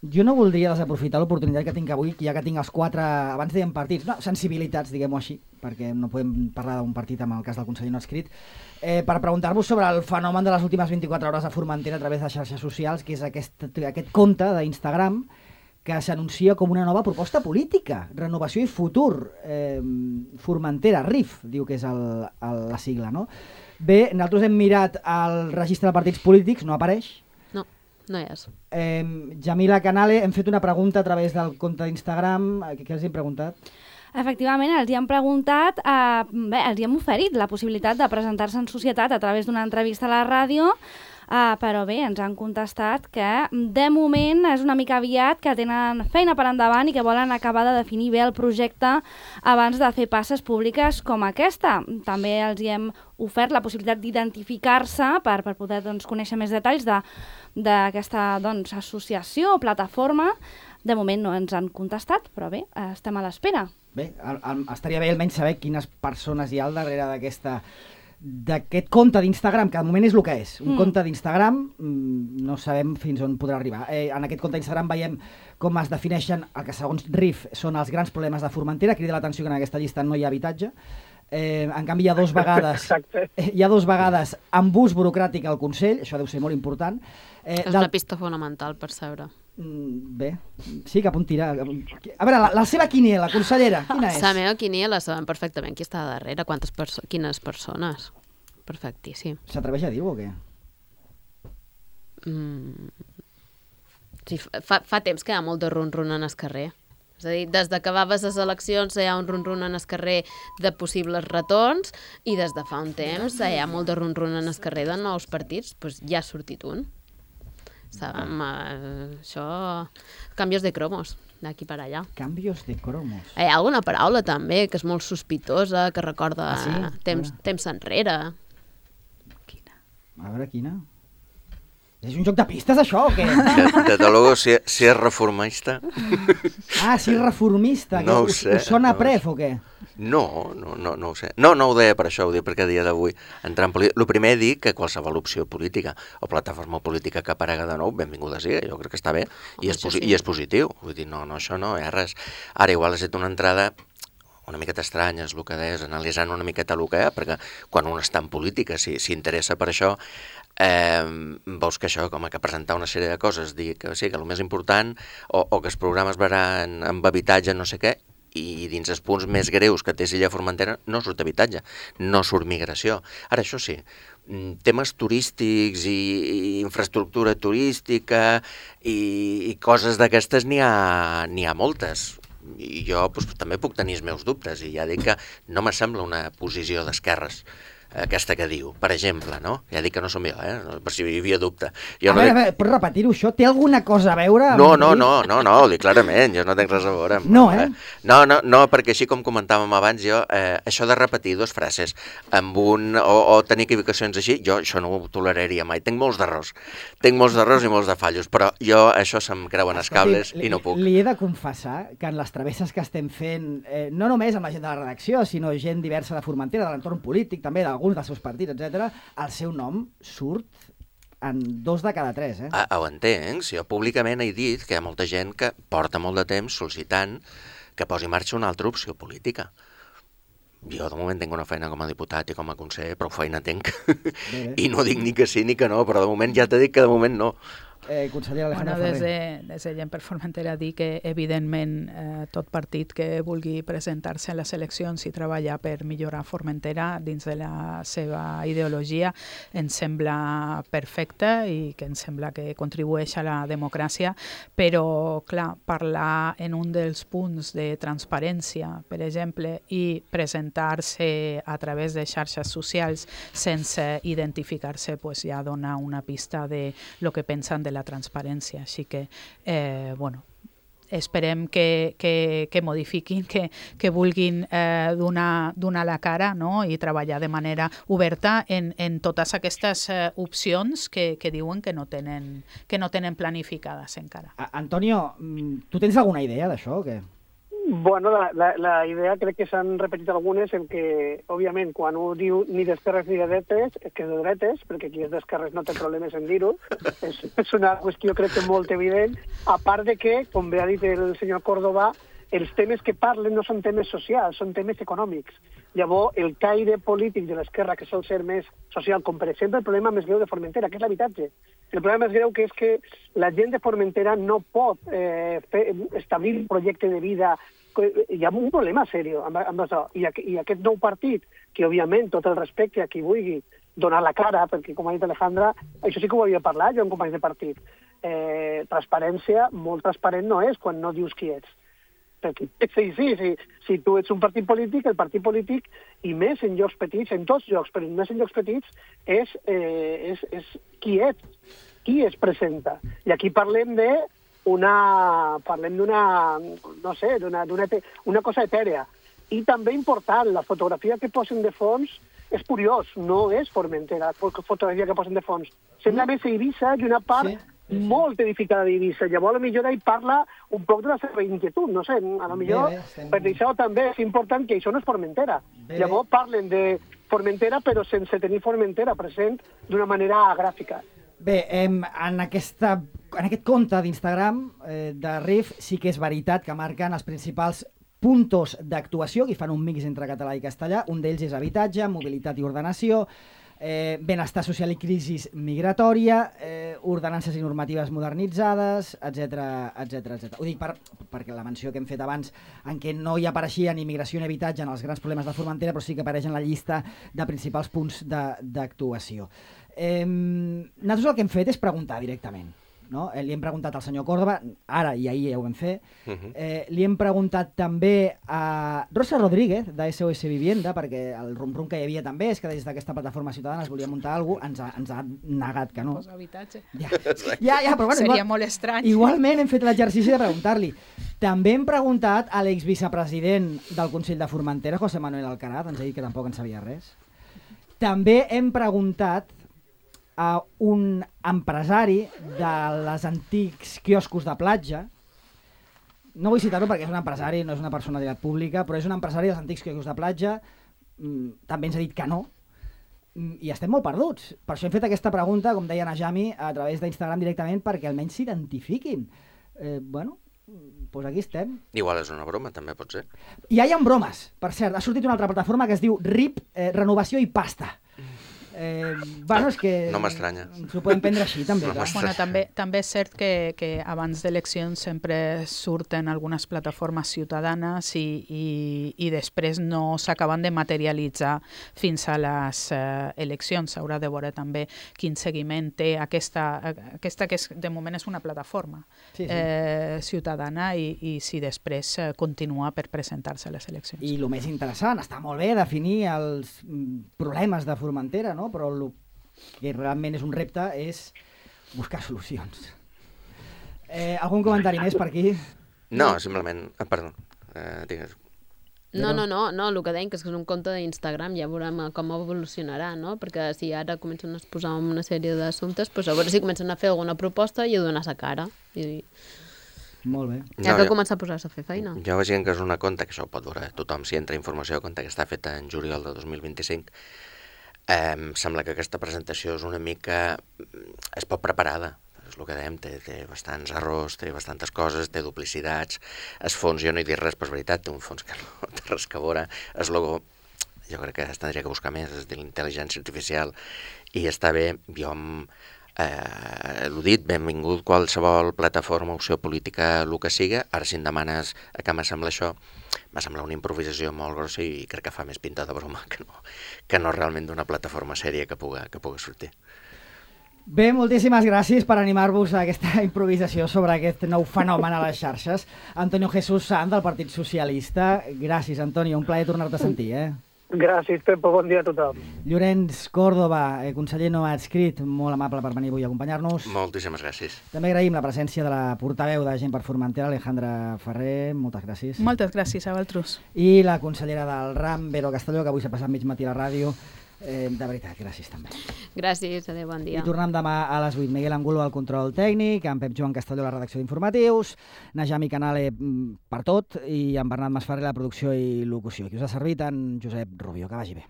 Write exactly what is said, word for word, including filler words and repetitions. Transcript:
Jo no voldria desaprofitar l'oportunitat que tinc avui, ja que tinc els quatre, abans dèiem partits, no, sensibilitats, diguem-ho així, perquè no podem parlar d'un partit amb el cas del conseller no escrit, eh, per preguntar-vos sobre el fenomen de les últimes vint-i-quatre hores a Formentera a través de xarxes socials, que és aquest, aquest compte d'Instagram que s'anuncia com una nova proposta política, renovació i futur, eh, Formentera, R I F, diu que és el, el, la sigla, no? Bé, nosaltres hem mirat el registre de partits polítics, no apareix. No hi és. Eh, Jamila Canale, hem fet una pregunta a través del compte d'Instagram. Què, què els hem preguntat? Efectivament, els hi hem preguntat, eh, bé, els hi hem oferit la possibilitat de presentar-se en societat a través d'una entrevista a la ràdio, eh, però bé, ens han contestat que de moment és una mica aviat, que tenen feina per endavant i que volen acabar de definir bé el projecte abans de fer passes públiques com aquesta. També els hi hem ofert la possibilitat d'identificar-se per, per poder doncs, conèixer més detalls de d'aquesta doncs, associació o plataforma. De moment no ens han contestat, però bé, estem a l'espera. Bé, el, el, estaria bé almenys saber quines persones hi ha al darrere d'aquesta d'aquest compte d'Instagram, que de moment és el que és. Un mm. compte d'Instagram, no sabem fins on podrà arribar. Eh, en aquest compte d'Instagram veiem com es defineixen el que segons R I F són els grans problemes de Formentera. Crida l'atenció que en aquesta llista no hi ha habitatge. Eh, en canvi, hi ha dos vegades eh, hi ha dos vegades amb ús burocràtic al Consell, això deu ser molt important. Eh, és una pista fonamental per saber. Bé, sí, cap on tirar. A veure, la, la seva quiniela, consellera, quina és? La meva quiniela sabem perfectament qui està darrere, quantes perso quines persones. Perfectíssim. S'atreveix a dir-ho o què? Mm. Sí, fa, fa temps que hi ha molt de run-run en el carrer. És a dir, des de que va les eleccions hi ha un run-run en el carrer de possibles retorns i des de fa un temps hi ha molt de run-run en el carrer de nous partits, doncs ja ha sortit un. Sabem, eh, això... Canvios de cromos, d'aquí per allà. Canvios de cromos. Hi ha alguna paraula també que és molt sospitosa, que recorda ah, sí? temps, temps enrere. Quina? A veure, quina? És un joc de pistes, això, o què? De, de luego, si, si és reformista... Ah, si és reformista. No ho us, sé. Us sona no pref o què? No, no, no, no ho sé. No, no ho deia per això, ho dic perquè a dia d'avui entrar en política... El primer dic que qualsevol opció política o plataforma política que aparega de nou, benvinguda sigui, jo crec que està bé, i és, posi sí. i és positiu. Vull dir, no, no, això no hi ha res. Ara, igual has fet una entrada una miqueta estranya, és el que deies, analitzant una miqueta el que hi ha, perquè quan un està en política, si s'interessa per això, eh, veus que això, com que presentar una sèrie de coses, dir que sí, que el més important, o, o que els programes veran amb habitatge, no sé què, i dins els punts més greus que té Silla Formentera no surt habitatge, no surt migració. Ara, això sí, temes turístics i, i infraestructura turística i, i coses d'aquestes n'hi ha, n'hi ha moltes. I jo doncs, també puc tenir els meus dubtes i ja dic que no me sembla una posició d'esquerres aquesta que diu, per exemple, no? Ja dic que no som jo, eh? Per si hi havia dubte. Jo a no veure, dic... a veure, pots repetir-ho, això? Té alguna cosa a veure amb... No, no, no, no, no, ho dic clarament, jo no tinc res a veure amb... No, eh? No, no, no, perquè així com comentàvem abans, jo, eh, això de repetir dues frases amb un... o, o tenir equivocacions així, jo això no ho toleraria mai. Tinc molts d'errors, tinc molts d'errors i molts de fallos, però jo això se'm creuen els cables i no puc. Li he de confessar que en les travesses que estem fent, eh, no només amb la gent de la redacció, sinó gent diversa de Formentera, de l'entorn polític, també d'alguns dels seus partits, etcètera, el seu nom surt en dos de cada tres, eh? Ah, ho entenc, si jo públicament he dit que hi ha molta gent que porta molt de temps sol·licitant que posi en marxa una altra opció política. Jo de moment tinc una feina com a diputat i com a conseller, prou feina tinc. Bé, bé. I no dic ni que sí ni que no, però de moment ja t'he dit que de moment no. Eh, consellera Alejandra bueno, Ferrer. des de, des de Gent per Formentera dir que evidentment eh, tot partit que vulgui presentar-se a les eleccions i treballar per millorar Formentera dins de la seva ideologia ens sembla perfecte i que ens sembla que contribueix a la democràcia, però clar, parlar en un dels punts de transparència, per exemple, i presentar-se a través de xarxes socials sense identificar-se, pues ja dona una pista de lo que pensen de la transparència. Així que, eh, bueno, esperem que, que, que modifiquin, que, que vulguin eh, donar, donar la cara, no? I treballar de manera oberta en, en totes aquestes eh, opcions que, que diuen que no tenen, que no tenen planificades encara. A Antonio, tu tens alguna idea d'això o què? Bueno, la, la, la idea crec que s'han repetit algunes en què, òbviament, quan un diu ni d'esquerres ni de dretes, és que és de dretes, perquè qui és d'esquerres no té problemes en dir-ho. és, és una qüestió, crec que molt evident. A part de que, com bé ha dit el senyor Córdoba, els temes que parlen no són temes socials, són temes econòmics. Llavors, el caire polític de l'esquerra, que sol ser més social, com per exemple el problema més greu de Formentera, que és l'habitatge. El problema més greu que és que la gent de Formentera no pot eh, fer, establir un projecte de vida. Hi ha un problema seriós amb, amb això. I, I aquest nou partit, que òbviament tot el respecte a qui vulgui donar la cara, perquè com ha dit Alejandra, això sí que ho havia parlat jo amb companys de partit. Eh, transparència, molt transparent no és quan no dius qui ets. Perquè, sí, sí, sí, si tu ets un partit polític, el partit polític, i més en llocs petits, en tots llocs, però més en llocs petits, és, eh, és, és qui ets, qui es presenta. I aquí parlem de una, parlem d'una, no sé, d'una, d'una una cosa etèrea. I també important, la fotografia que posen de fons és curiós, no és Formentera, la fotografia que posen de fons. Sembla més Eivissa i una part... Sí. Molt edificada d'Eivissa. Llavors, a lo millor ell parla un poc de la seva inquietud, no sé, a lo millor, bé, bé, estem... per això també és important que això no és Formentera. Bé, Llavors parlen de Formentera, però sense tenir Formentera present d'una manera gràfica. Bé, em, en, aquesta, en aquest compte d'Instagram eh, de R I F sí que és veritat que marquen els principals puntos d'actuació, que fan un mix entre català i castellà. Un d'ells és habitatge, mobilitat i ordenació, Eh, benestar social i crisi migratòria, eh, ordenances i normatives modernitzades, etcètera, etcètera, etcètera. Ho dic per, perquè la menció que hem fet abans, en què no hi apareixia ni immigració ni habitatge en els grans problemes de Formentera, però sí que apareix en la llista de principals punts d'actuació. Eh, nosaltres el que hem fet és preguntar directament. No? Eh, li hem preguntat al senyor Córdoba, ara i ahir ja ho vam fer, uh-huh. eh, li hem preguntat també a Rosa Rodríguez, de S O S Vivienda, perquè el rum-rum que hi havia també és que des d'aquesta plataforma ciutadana es volia muntar alguna cosa, ens, ha, ens ha negat que no. Pues habitatge. Ja, ja, ja, però bueno, seria igual, molt estrany. Igualment hem fet l'exercici de preguntar-li. També hem preguntat a l'exvicepresident del Consell de Formentera, José Manuel Alcaraz, ens ha dit que tampoc en sabia res. També hem preguntat a un empresari de les antics quioscos de platja. No vull citar-lo perquè és un empresari, no és una personalitat pública, però és un empresari dels antics quioscos de platja. Mm, també ens ha dit que no. Mm, I estem molt perduts. Per això hem fet aquesta pregunta, com deia Najami, a través d'Instagram directament, perquè almenys s'identifiquin. Eh, bueno, doncs aquí estem. Igual és una broma, també pot ser. I ja hi ha bromes, per cert. Ha sortit una altra plataforma que es diu R I P, eh, Renovació i Pasta. Eh, bueno, és que no m'estranya. S'ho podem prendre així, també. No bueno, també, també és cert que, que abans d'eleccions sempre surten algunes plataformes ciutadanes i, i, i després no s'acaben de materialitzar fins a les eh, eleccions. S'haurà de veure també quin seguiment té aquesta, aquesta que és, de moment és una plataforma sí, sí. Eh, ciutadana i, i si després eh, continua per presentar-se a les eleccions. I el més interessant, està molt bé definir els problemes de Formentera, no? Però el que realment és un repte és buscar solucions. Eh, algun comentari més per aquí? No, simplement... Ah, perdó, eh, digues. No, no, no, no, el que deim que és un compte d'Instagram, ja veurem com evolucionarà, no? Perquè si ara comencen a exposar una sèrie d'assumptes, doncs a veure si comencen a fer alguna proposta i a donar-se cara. I... Molt bé. Ja no, que jo, comença a posar-se a fer feina. Jo vaig dient que és una conta, que això ho pot veure tothom si entra informació a compte, que està feta en juliol de dos mil vint-i-cinc. Eh, em sembla que aquesta presentació és una mica... és poc preparada, és el que dèiem, té, té bastants errors, té bastantes coses, té duplicitats, es fons, jo no he dit res, però és veritat, té un fons que no té res que veure, es logo, jo crec que es tindria que buscar més, és de l'intel·ligència artificial, i està bé, jo eh, l'ho dit, benvingut qualsevol plataforma, opció política, el que siga, ara si em demanes a què m'assembla això, va semblar una improvisació molt grossa i crec que fa més pinta de broma que no, que no realment d'una plataforma sèria que puga, que puga sortir. Bé, moltíssimes gràcies per animar-vos a aquesta improvisació sobre aquest nou fenomen a les xarxes. Antonio Jesús Sant, del Partit Socialista. Gràcies, Antonio, un plaer tornar-te a sentir, eh? Gràcies, Pepo, bon dia a tothom. Llorenç Córdoba, eh, conseller no adscrit, molt amable per venir avui a acompanyar-nos. Moltíssimes gràcies. També agraïm la presència de la portaveu de Gent per Formentera, Alejandra Ferrer, moltes gràcies. Moltes gràcies a vosaltres. I la consellera del RAM, Vero Castelló, que avui s'ha passat mig matí a la ràdio. Eh, de veritat, gràcies també. Gràcies, adéu, bon dia. I tornem demà a les vuit. Miguel Angulo al control tècnic, en Pep Joan Castelló a la redacció d'informatius, Najami Canale per tot i en Bernat Masferrer la producció i locució. Qui us ha servit, en Josep Rubio. Que vagi bé.